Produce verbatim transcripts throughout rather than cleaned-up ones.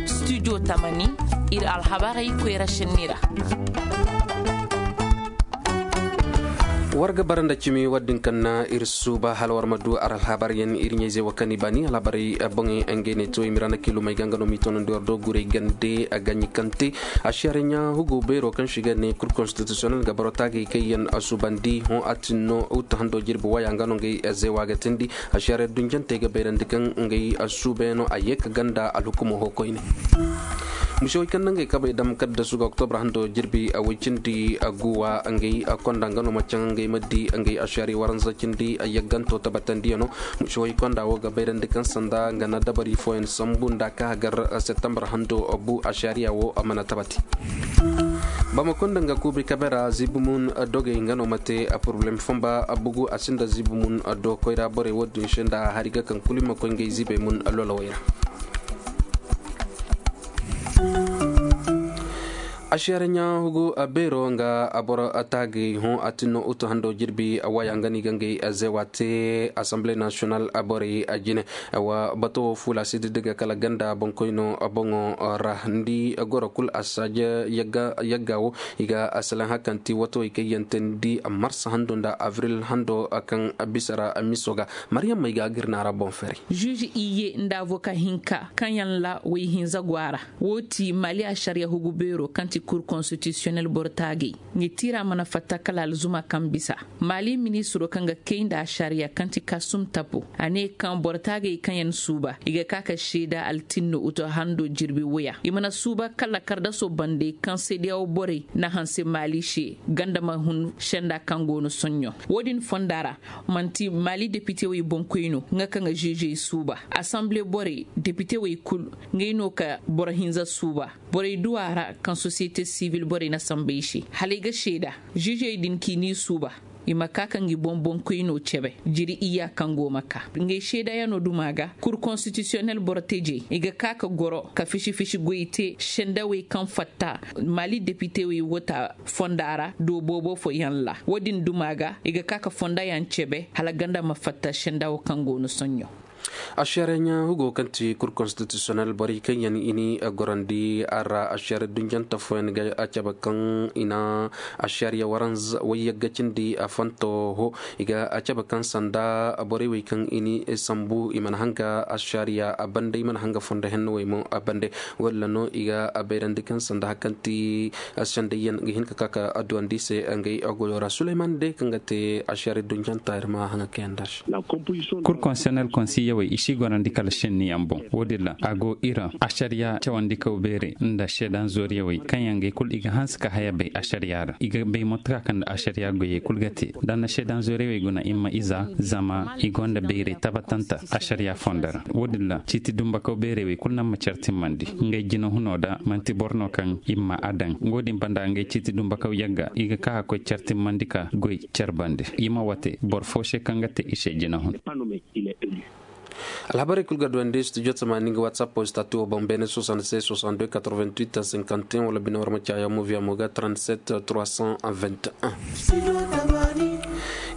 Studio tamani, iri alhabarey koyra senni ra. War ga bara nda cimi war din kaŋ na iri suuba hala war ma du ar alhabar yaŋ iri ɲayze wo kaŋ i baani alhabarey boŋey ngey ne to i mira na kilumey ga nga no m'i toonandi war do gurey gande a gaɲi kaŋ te. Asiyara ɲa hugo beero kaŋ si ga ne kur konstitisiyonel ga boro taagay kaŋ yaŋ a suubandi hõ a tin no uta hando jirbi waya nga no ngey zeewa ga tindi. Asiyara dunjantey ga bayrandi kaŋ ngey a suuba yaŋ no a ye ka ganda alhukumo ho koyne. Musewey kaŋ na ngey kabey dam kaddasu ga oktobra hando jirbi a way cindi a guwa ngey a konda nga no ma caŋ ngey ma di ngey asiyari waranza cindi a yagganto tabbatandi yaŋ no. Musewey konda wo ga bayrandi kaŋ sanda nga na dabari fooyaŋ sambu nda ka hagar septembre hando bu asiyariya wo a mana tabbati. Bamako nda nga kuubi kabe ra ziibi mun dogey nga no ma te a poroblem famba a bugu a sinda ziibi mun do koyra borey wo din se nda hari ga kaŋ kulu i ma koy ngey ziibey mun lolowey ra. Asiyara ɲa hugu a beero nga a boro a taagay hõ a tinno utu hando jirbi a waya nga ni ga ngey a zeewa te assemblée nationale a borey a jine. Wa bato wo fuula si diddiga kala ganda boŋkoyno boŋo ra ni di goro kulu a saaje yagga wo i ga a salaŋ hakanti wato i kaŋ yaŋ te ni di marsa hando nda avril hando kaŋ bisa ra miso ga. Mariyam may ga a ga iri naara boŋ fari. Juge iyye nda avoka hinka kaŋ yaŋ ra way hinza go a ra. Wo ti mali asariya hugu beero kaŋ ti kur konstitisiyonel boro taagay. Nga tiira mana fatta kala alzuma kaŋ bisa. Mali ministiro kaŋ ga kay nda asariya kaŋ ti kasum tapo a ne kaŋ boro taagay kaŋ yaŋ suuba i ga ka ka seeda altinno uto hando jirbi waya i mana suuba kala kardaso bande kaŋ seedeyawo borey na hanse mali se ganda ma hun senda kaŋ go no soɲɲo. Wo- din fonda ra manti mali depitewey boŋkoyno nga kaŋ ga zezey suuba asamble borey depitewey kulu. Ngey no ka boro hinza suuba borey duwa ra kaŋ sosiyete sivil borey na samba i se hala i ga seeda zezey din k'i n'i suuba. I ma ka ka ngi boŋ boŋkoyno cebe jiri iyya kaŋ go ma ka ngey seedayaŋo duma ga kur konstitisiyonel boro tejey i ga ka ka goro ka fisi fisi goy te sendawey kaŋ fatta mali depitewey wota fonda ra do boobo fo yaŋ ra wo- din duma ga i ga ka ka fonda yaŋ cebe hala ganda ma fatta sendawo kaŋ go no soɲɲo. Asiyara ɲa hugo kaŋ ti kur konstitisiyonel borey kaŋ yaŋ i ni gorandi a ra asiyara dunjanta fooyaŋ ga a cabe kaŋ i na asiyara yaŋ waranza wayyagga cindi a fanto ho. I ga a cabe kaŋ sanda borey wey kaŋ i ni sambu i mana hanga asiyara yaŋ a bande i mana hanga fondo henno wey mo a bande. Walla no i ga a bayrandi kaŋ sanda hari kaŋ ti sendayyaŋ ga hin ka ka ka adduwandi se ngey goyo ra suleyman day kaŋ ga te asiyara dunjanta iri ma hanga kaŋ yaŋ da se. Kur konseynel konsiyawey i si gorandi kala senni yaŋ boŋ wo- din ra a go iran asariya cawandi kaw beere nda seedan zooriyawey kaŋ yaŋ gay kulu i ga hanse ka haya bay asariya ra i ga bay motoka kaŋ nda asariya goyey kulu ga te da na seedan zooriyawey guna i ma iza zama i gonda bayray tabbatanta asariya fondo ra wo- din ra ciiti dumba kaw beerey wey kulu naŋ ma care timmandi. Ngey jina huno da manti boro no kaŋ i ma a daŋ wo- din banda ngey ciiti dumba kaw yagga i ga ka ka koy care timmandi ka goy care bande i ma wate boro fo se kaŋ ga te i se jina hun. Alhabarey kulu ga duwandi studio tamani ga whatsapp o statu o boŋ bene soixante-seize soixante-deux quatre-vingt-huit cinquante et un wala bine war ma caya moviya mo ga trente-sept trois cent vingt et un.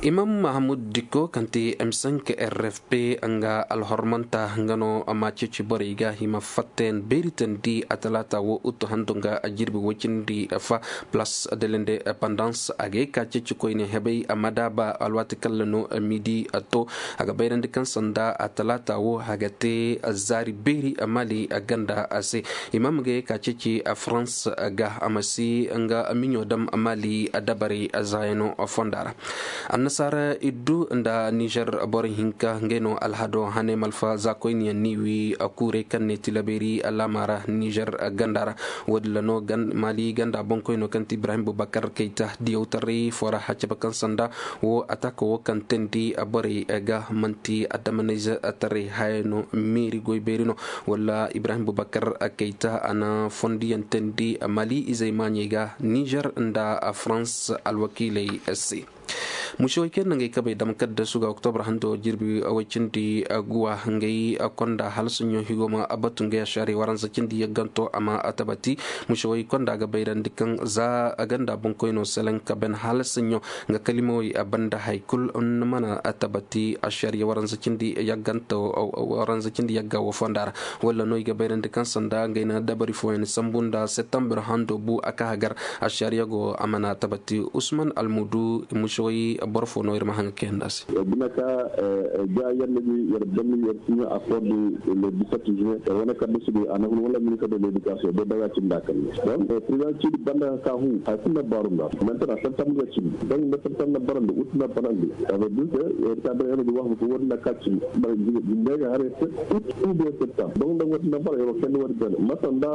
Imam mahamud dikko kaŋ ti m cinq r f p nga alhormanta nga no ma ceeci borey ga hima fatten beeri tandi a talaata wo uttu handu nga a jirbi wacindi fa place de l'indépendance a ga ye ka ceeci koyne hebay a ma daaba alwaati kalla no midi a to. A ga bayrandi kaŋ sanda a talaata wo a ga te zaari beeri a mali a ganda a se. Imam ga ye ka ceeci a france ga a ma si nga miɲo dam a mali a dabaray a zaayano fonda ra. Annasaara iddu nda nizer boro hinka ngey no alhado hane malfa za koyne yaŋ ni wi a kuuray kaŋ ne tilabeeri alaama ra nizer ganda ra. Wo- din ra no mali ganda boŋkoyno kaŋ ti ibrahim bubakar kayta diyawtaray fo ra haccaba kaŋ sanda wo ataka wo kaŋ teendi borey ga manti adamanayze taray haya no meeri goy beeri no. Wala ibrahim bubakar kayta a na fondiyaŋ teendi mali izey maaɲey ga nizer nda france alwakiiley se. Mušewey kaŋ yaŋ no ngey kabey dama kala da suga oktobar hando jirbi way cindi guwa ngey konda hala soɲõ higo ma batu ngey ašariya waranza cindi yagganto a ma tabati. Mušewey konda ga bayrandi kaŋ za ganda boŋkoyno selaŋ ka ban hala soɲõ nga kalimawey banda hari kulu mana tabati ašariya waranza cindi yagganto waranza cindi yagga wo fonda ra. Walla no i ga bayrandi kaŋ sanda ngey na dabari fooyaŋ sambu nda septembre hando bu a ka hagar ašariya go a mana tabati. Usman almudu mušewey boro fo no iri ma haŋ ga kayandi a se. Bina ka ga yalla ga yar banni yar siɲa a kordi le dix-sept juin wane kadda su ga a na hun wala ministre de l'éducation de daga cinda kan donc président cidi banda ka hu hay kunna baru nda maintenant septembre ga cindi donc nda septembre na barandi ut na barandi. Avec dix yar ka da yalla ga wax ko wani na ka cindi bara jinde ga hare ut ou bien septembre donc nda wani na bara yaro kan wani ben masa nda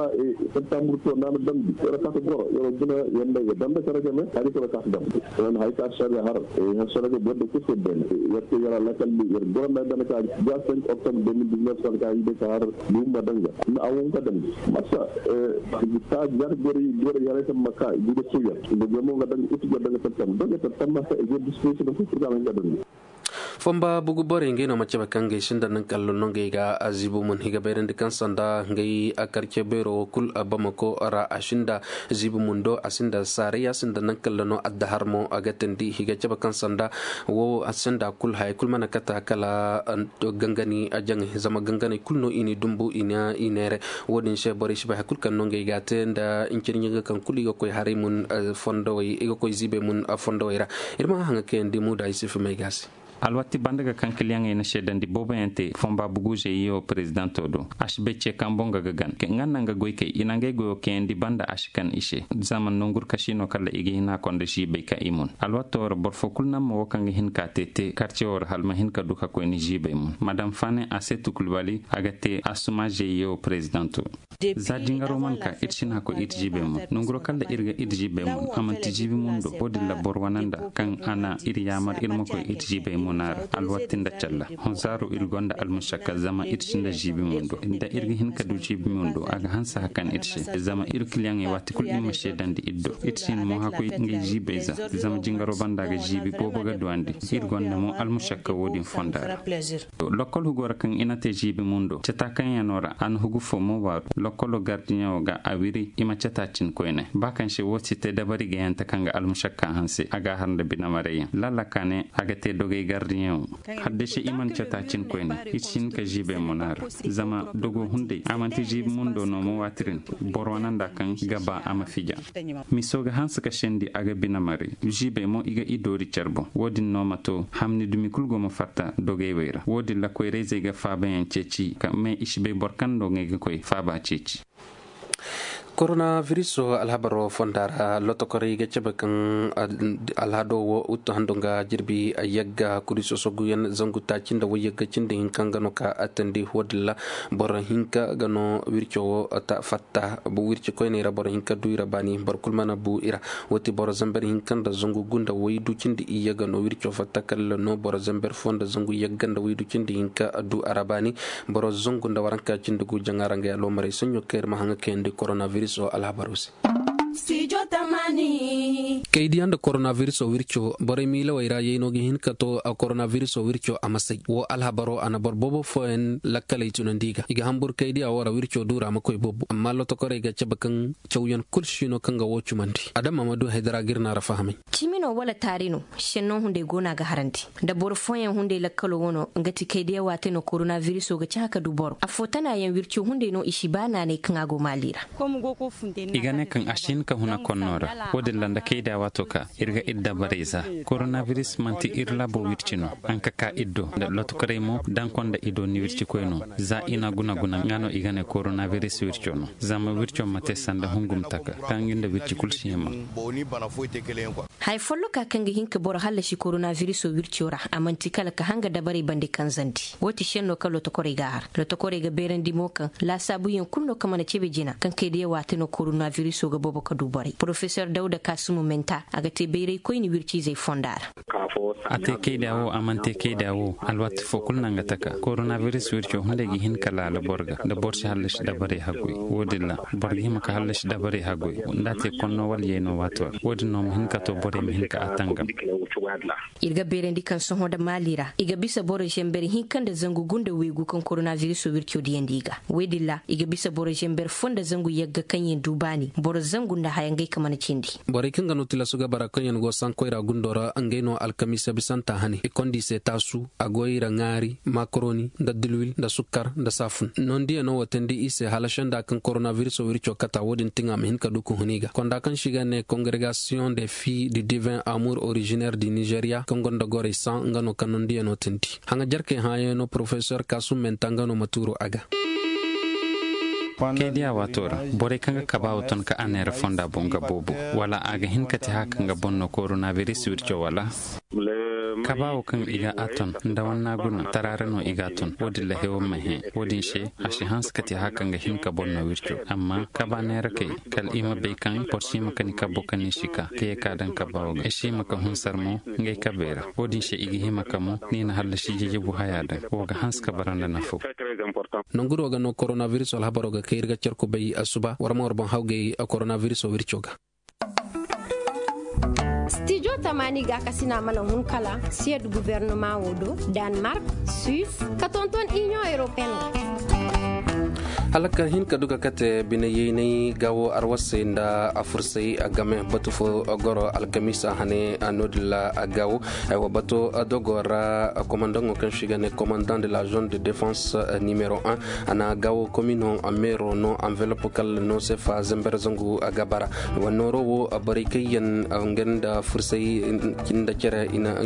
septembre to na na dambi yaro ka goro yaro gina yanda ga dambe kare game hari ko ka dambi. Wani hay ka sharga har har sharga banda kusa ben yar ke yara lakal yar goro na dan ka ga cinq octobre deux mille dix-neuf kan ka yi da ka har lumma danga na awon ka dambi masa ta jar gori gori yare kan maka gida suya da gamo ga danga ita ga danga septembre danga septembre masa e ga disposition da kusa ga danga. Famba bugu borey ngey no ma cabe kaŋ ngey sinda naŋ kala no ngey ga ziibu mun i ga bayrandi kaŋ sanda ngey karce beero wo kulu bamako ra a sinda ziibu mun do a sinda saaray a sinda naŋ kala no addahar mo a ga tandi i ga cabe kaŋ sanda wo a sinda kulu haya kulu mana kata kala gangani jaŋay zama ganganey kulu no i n'i dumbu i neere. Wo- din se borey si bay hari kulu kaŋ no ngey ga a te nda ncirɲiga kaŋ kulu i ga koy haray mun fondowey i ga koy ziibey mun fondowey ra. Iri ma haŋ ga kayandi muuda isufu may ga se. Alwatti banda ga kaŋ kiliyaŋey na seedandi boobo yaŋ te fomba bugu zeeyo prezidanto do a si bay ce kaŋ boŋ ga ga gan nga nda nga goykey i na ngey goyo kayandi banda a si kan i se. Zama nongurkasi no kala i ga hina konda si bay ka i mun alwatto ra boro fo kulu naŋ ma wo kaŋ ga hin ka te te karce wo ra hala ma hin ka du ka koy ni ziibey mun madam fane a se tukulbali a ga te assuma zeeyo prezidanto. Za jingaro mana ka iri si na koy iri ziibey mun nonguro kala iri ga iri ziibey mun a manti ziibi mundo wo- din ra boro wane nda kaŋ a na iri yaamar iri ma koy iri ziibey muna ra alwatti nda calla. Honsaaro iri gonda almušakka zama iri sinda ziibi mundo nda iri ga hin ka du ziibi mundo a ga hanse hari kaŋ iri se zama iri kiliyaŋey waati kulu iri ma seedandi iri do iri si hin mo hakoy ngey ziibey za. Zama jingaro banda ga ziibi boobo ga duwandi iri gonda mo almušakka wo- din fonda ra. Lokkol hugo ra kaŋ i na te ziibi mundo cata kaŋ yaŋ no ra a na hugu fo mo waaru lokkolo gardiyaŋo ga a wiri i ma cata cin koyne ba kaŋ se wo si te dabari gayante kaŋ ga almušakka hanse a ga a har nda binamaray yaŋ lallaka ne a ga te dogay gardiyaŋo. Haddasa i mana cata cin koyne i si hin ka ziibay mo naara zama dogo hunday a manti ziibi mundo no mo waati din boro wane nda kaŋ ga ba a ma fija. Miso ga hanse ka sendi a ga binamaray ziibay mo i ga i doori care boŋ wo- din no ma to hamni dumi kulu go ma fatta dogay way ra wo- din ra koyrayzey ga faabayaŋ ceeci me i si bay boro kaŋ no ngey ga koy faaba ceeci. Koronaviriso alhabaro fonda ra lotokorey ga cabe kaŋ alhado wo uttu hando nga jirbi yagga kuri sosoguyaŋ zangu taaci nda wayyagga cindi hinka nga no ka attandi wo- din ra boro hinka ga no wirco wo fatta wirci koyney ra boro hinka du i ra baani boro kulu mana bu i ra. Wo ti boro zamber hinka nda zangu gunda waydu cindi iyye ga no wirco fatta kala no boro zamber fo nda zangu yagga nda waydu cindi hinka du a ra baani. Boro zangu nda waranka cindi gu jaŋa ra nga ya loomarey saɲɲo kaŋ iri ma haŋ ga kayandi koronaviriso alhabaro se. Kaydiya nda koronaviriso wirco borey miilawey ra yayno ga hin ka to a koronaviriso wirco a ma say wo alhabaro a na boro boobo fooyaŋ lakkaley tunandi i ga i ga hamburu kaydiya wo ra wirco duura ma koy boobo amma lotokorey ga cabe kaŋ cawyaŋ kulu si no kaŋ ga wo cumandi adama ma du haydara ga iri no a ra fahamay. Cimi no wala taari no senno hunday go no a ga harandi. Da boro fooyaŋ hunday lakkalo wo no nga ti kaydiya waate no koronaviriso ga caha ka du boro afo tana yaŋ wirco hunday no i si ba naanay kaŋ a go maali ra. I ga ne kaŋ a si hin ka huna konno ra wo- din ra nda kayda waato ka iri ga iri dabarey za. Koronabiris manti iri laabo wirci no. Haŋ ka ka iri do nda lotokorey mo daŋ konda i do ni wircikoy no. Za i na guna-guna nga no i ga ne koronabiris wirco no. Zama wirco ma te sanda hungum taka kaŋ nga nda wirci kulu si hima. Haya folloka kaŋ ga hin ka boro hallasi koronabiriso wirco ra a manti kala ka hanga dabarey bande kanzandi. Wo ti senno kaŋ lotokorey ga a har lotokorey ga beerandi mo kaŋ laasaabuyaŋ kulu no kaŋ mana cebe jina kaŋ kay da yawa te no koronabiriso ga boobo ka du borey. Profesor dawda kaasumu menta a ga te bayray koyne wirciizey fonda ra. A te kayda wo a mana te kayda wo, alwaati fo kulu naŋ ga taka koronabiris wirco hunday ga hin ka laala boro ga nda boro si hallasi dabarey haggoy. Wo- din ra boro ga hima ka hallasi dabarey haggoy, nda a te konno wala yayno waato ra wo- din no ma hin ka to borey ma hin ka a tangam. Iri ga beerandi kaŋ sohõ nda maali ra i ga bisa boro zember hinka nda zangu gu nda waygu kaŋ koronabiris wirco diyandi i ga. Wo- din ra i ga bisa boro zember fo nda zangu yagga kaŋ yaŋ du baani boro zangu nda haya ngey ka mana cindi. Borey kaŋ ga no tilasu ga bara kaŋ yaŋ go sankoy ra gundo ra ngey no alkamiisa bisanta hane i konda i se taasu, a go i ra ŋaari, makaroni, nda dilwil nda sukkar nda saafun. Noondiyaŋo wo teendi i se hala senda kaŋ koronabiris wirco kata wo- din tiŋa ma hin ka du ka hun i ga konda kaŋ se i ga ne kongregasiyoŋ de fi du divin amour originaire du nizeeriya kaŋ gonda gorey san nga no kaŋ noondiyaŋo teendi. Haŋa jarkey hãayaŋo porofesor kaasum menta nga no ma tuuru a ga. Kay diya waato ra, borey kaŋ ga kabaawo ton ka a neera fonda boŋ ga boobo, wala a ga hin ka ti haya kaŋ ga boŋ no koronabiris wirco wala? Kabaawo kaŋ i ga a ton nda wanna guna tara ra no i ga a ton wo- din ra hewo ma hẽ. Wo- din se a si hanse ka ti haya kaŋ ga hin ka boŋ no wirco. Amma kabaa neerakey, kala i ma bay kaŋ boro si hima ka ni kabbo kaŋ ni si ka ka ye ka daŋ kabaawo ga i si hima ka hunsar mo ngey kabey ra. Wo- din se i ga hima ka mo ni na hallasi jajabu haya daŋ wo ga hanse ka bara nda nafaw. Nangu do ga no koronabiris alhabaro ga kay iri ga care kubay asuba war ma war boŋ hawgay koronabiris wirco ga. Stijo tamaani gaakasina mana hun kala siyad gubernama wo do, danmark, suis, ka tonton inion europeen. Hala ka hin ka duka kate bine yeynay gawo arwasay nda a fursay a game batu fo goro alkamiisa hane a noodin ra a gawo. Ay wa bato dogo ra komandaŋo kaŋ si ga ne komandant de la zone de défense numéro un, a na gawo komino a meero no enveloppe kala no sefa zember zangu a ga bara. Wa nooro wo a borey kaŋ yaŋ nga nda fursay nda care i na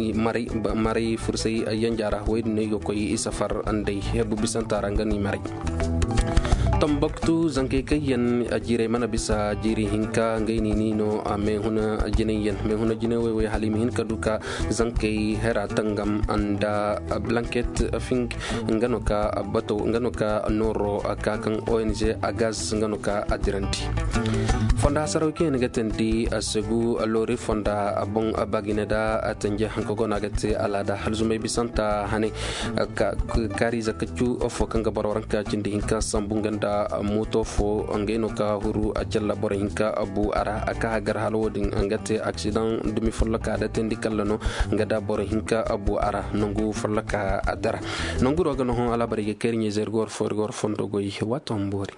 maray fursay yanja ra wo- din no i ga koy i safar nd'ey hebu bisanta ra nga no i maray. Tambaktu zankey kaŋ yaŋ a jiirey mana bisa jiiri hinka ngey no i no a meehuna jinay yaŋ meehuna jinay wayway hala i ma hin ka du ka zankey hera tangam nda blanket fink nga no ka bato nga no ka nooro ka kaŋ ong a gaz nga no ka a dirandi. Fonda hasaraw kaŋ yaŋ ga tandi a segu loori fonda boŋ bagine da a tanje hanka go no a ga te alaada halzumay bisanta hane. Kaari zakka cu fo kaŋ ga boro waranka cindi hinka sambu nga nda mooto fo ngey no ka huru a calla boro hinka bu a ra a ka hagar hala wo- din nga te aksidaŋ dumi folloka da teendi kalla no nga da boro hinka bu a ra nangu folloka a dara. Nangu do ga no hõ alaabarey ga kayri ɲeezer ga war fo iri ga war fondo goy waato ma boori.